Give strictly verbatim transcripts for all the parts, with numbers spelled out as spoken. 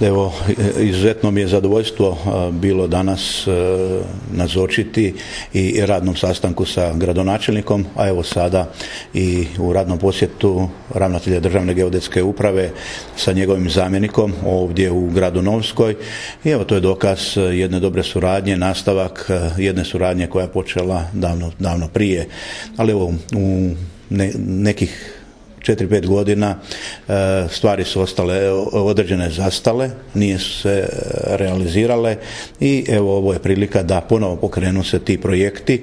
Evo, izuzetno mi je zadovoljstvo bilo danas nazočiti i radnom sastanku sa gradonačelnikom, a evo sada i u radnom posjetu ravnatelja Državne geodetske uprave sa njegovim zamjenikom ovdje u gradu Novskoj. I evo, to je dokaz jedne dobre suradnje, nastavak jedne suradnje koja je počela davno, davno prije. Ali evo, u ne, nekih četiri pet godina stvari su ostale određene zastale, nije su se realizirale i evo, ovo je prilika da ponovo pokrenu se ti projekti,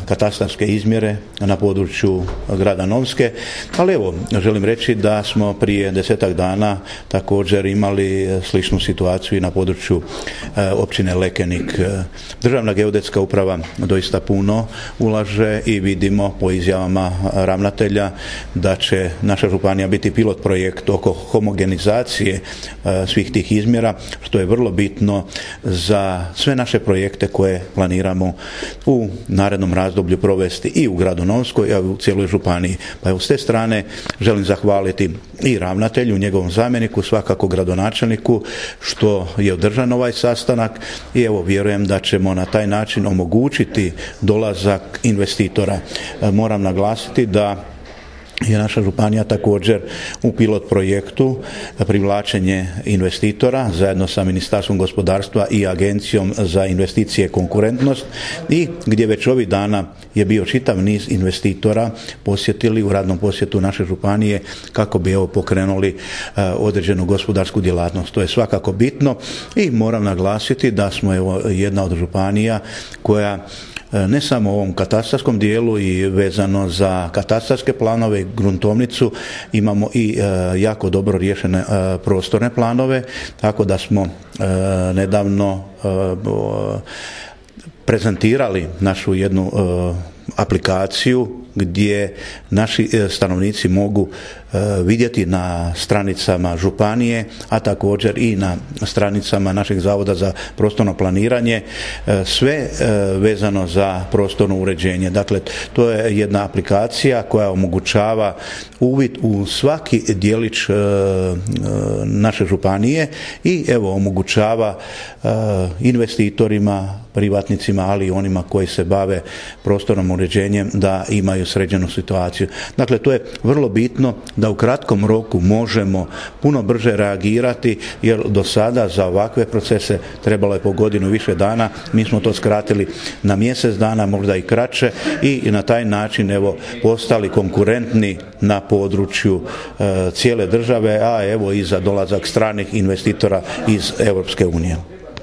katastarske izmjere na području grada Novske. Ali evo, želim reći da smo prije desetak dana također imali sličnu situaciju i na području općine Lekenik. Državna geodetska uprava doista puno ulaže i vidimo po izjavama ravnatelja da će naša županija biti pilot projekt oko homogenizacije svih tih izmjera, što je vrlo bitno za sve naše projekte koje planiramo u narednom razdoblju provesti i u gradu Novskoj i u cijeloj županiji. Pa evo, s te strane želim zahvaliti i ravnatelju, njegovom zamjeniku, svakako gradonačelniku što je održan ovaj sastanak i evo, vjerujem da ćemo na taj način omogućiti dolazak investitora. Moram naglasiti da je naša županija također u pilot projektu privlačenje investitora zajedno sa Ministarstvom gospodarstva i Agencijom za investicije i konkurentnost, i gdje već ovih dana je bio čitav niz investitora posjetili u radnom posjetu naše županije kako bi evo pokrenuli uh, određenu gospodarsku djelatnost. To je svakako bitno i moram naglasiti da smo evo jedna od županija koja ne samo u ovom katastarskom dijelu i vezano za katastarske planove i gruntovnicu imamo i e, jako dobro riješene e, prostorne planove, tako da smo e, nedavno e, prezentirali našu jednu e, aplikaciju gdje naši stanovnici mogu vidjeti na stranicama županije, a također i na stranicama našeg Zavoda za prostorno planiranje sve vezano za prostorno uređenje. Dakle, to je jedna aplikacija koja omogućava uvid u svaki djelić naše županije i evo omogućava investitorima, privatnicima, ali i onima koji se bave prostornom uređenjem da imaju sređenu situaciju. Dakle, to je vrlo bitno da u kratkom roku možemo puno brže reagirati, jer do sada za ovakve procese trebalo je po godinu više dana. Mi smo to skratili na mjesec dana, možda i kraće, i na taj način evo postali konkurentni na području e, cijele države, a evo i za dolazak stranih investitora iz Europske unije.